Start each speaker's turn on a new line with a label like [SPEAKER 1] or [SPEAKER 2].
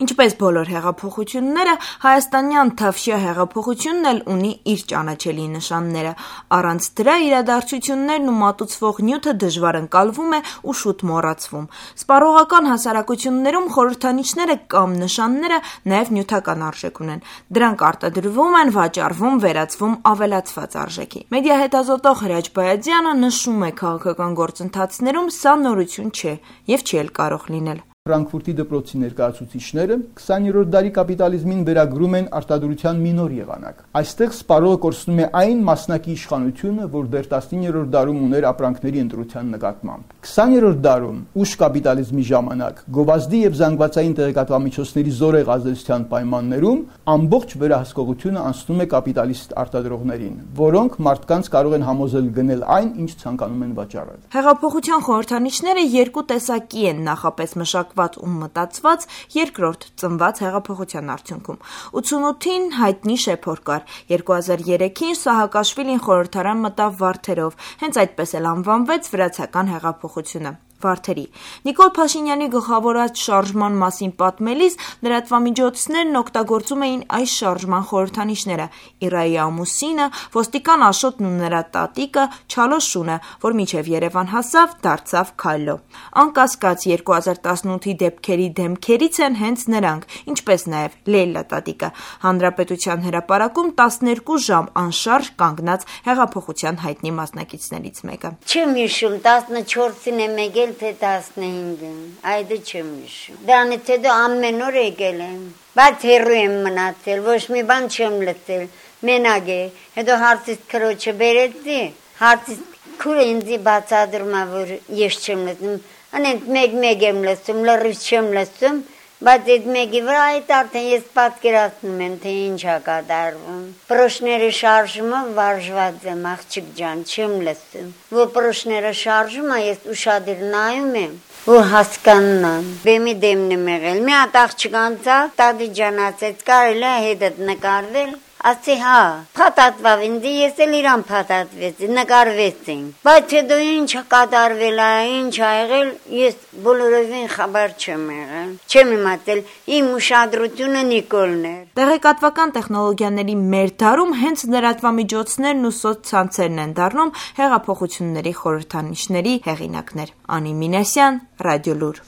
[SPEAKER 1] Ինչպես բոլոր հեղափոխությունները, հայաստանյան Թավշյա հեղափոխությունն էլ ունի իր ճանաչելի նշանները։ Առանց դրա իրադարձություններն ու մատուցվող նյութը դժվար ընկալվում է ու շուտ մոռացվում։ Սպառողական հասարակություններում խորհրդանիշները կամ նշանները նաև նյութական արժեք ունեն։ Դրանք արտադրվում են, վաճառվում, վերածվում ավելացված արժեքի։ Մեդիա հետազոտող Հրաչ Բայազյանը նշում է, քաղաքական գործընթացներում սա նորություն չէ եւ չի էլ կարող լինել։
[SPEAKER 2] Ֆրանկֆուրտի դպրոցի ներկայացուցիչները 20-րդ դարի կապիտալիզմին վերագրում են արտադրության մի նոր եղանակ։ Այստեղ սպառողը կորցնում է այն մասնակի իշխանությունը, որ դեռ 19-րդ դարում ուներ ապրանքների ընտրության նկատմամբ։ 20-րդ դարում ուշ կապիտալիզմի ժամանակ գովազդի եւ զանգվածային տեղեկատվամիջոցների զորեղ ազդեցության պայմաններում ամբողջ վերահսկողությունը անցնում է կապիտալիստ արտադրողներին, որոնք մարդկանց կարող են համոզել գնել այն, ինչ ցանկանում են վաճառել։
[SPEAKER 1] Հեղափոխության խորհրդանիշները երկու տեսակի են՝ նախապես մշակված ու մտածված, երկրորդ ծնված հեղափոխության արդյունքում։ 88-ին հայտնի շեփոր կար, 2003-ին Սահակաշվիլին խորհրդարան մտավ Վարդերով, հենց այդպես էլ անվանվեց վրացական հեղափոխությունը։ Վարդերի։ Նիկոլ Փաշինյանի գլխավորած շարժման մասին պատմելիս լրատվամիջոցներն օգտագործում էին այս շարժման խորհրդանիշները՝ Իրայի ամուսինը, ոստիկան Աշոտն ու նրա տատիկը, Չալոշունը, որ մինչև Երևան հասավ, դարձավ Քայլո։ Անկասկած 2018-ի դեպքերի դեմքերից են հենց նրանք, ինչպես նաև Լեյլա տատիկը, Հանրապետության հրապարակում 12 ժամ անշարժ կանգնած հեղափոխության հայտնի մասնակիցներից մեկը։
[SPEAKER 3] Չեմ հիշում 14-ին եմ եկել թե 15-ին, այդ չեմ հիշում։ Դրանից հետո ամեն օր եկել եմ, բայց հեռու եմ մնացել, ոչ մի բան չեմ լսել, մենակ է։ Հետո հարցից քրոջը բերեցի, հարցից քուրը ինձ բացատրում է, որ ես չեմ լսում, անենք մեկ եմ լսում, լրիվ չեմ լսում, բայց այդ մեկի վրա այդ արդեն ես պատկերացնում եմ, թե ինչ է կատարվում։ Պրոշները շարժումով վարժված եմ, աղջիկ ջան, չեմ լսում։ Որ պրոշները շարժում է, ես ուշադիր նայում եմ, որ հասկանամ։ Բեմի դեմն եմ եղել, մի հատ աղջիկ անցավ, տատի ջան ասեց, կարելի է հետդ նկարվել։ Ասի հա, փաթաթվավ ինձ, ես էլ իրան փաթաթվեցի, նկարվեցինք։ Բայց հետո ինչ կատարվել է, ինչ ա եղել, ես բոլորովին խաբար չեմ եղել։ Չեմ իմացել, իմ ուշադրությունը Նիկոլն էր։
[SPEAKER 1] Տեղեկատվական տեխնոլոգիաների մեր դարում հենց լրատվամիջոցներն ու սոցցանցերն են դառնում հեղափոխությունների խորհրդանիշների հեղինակներ։ Անի Մինասյան, Ռադիոլուր։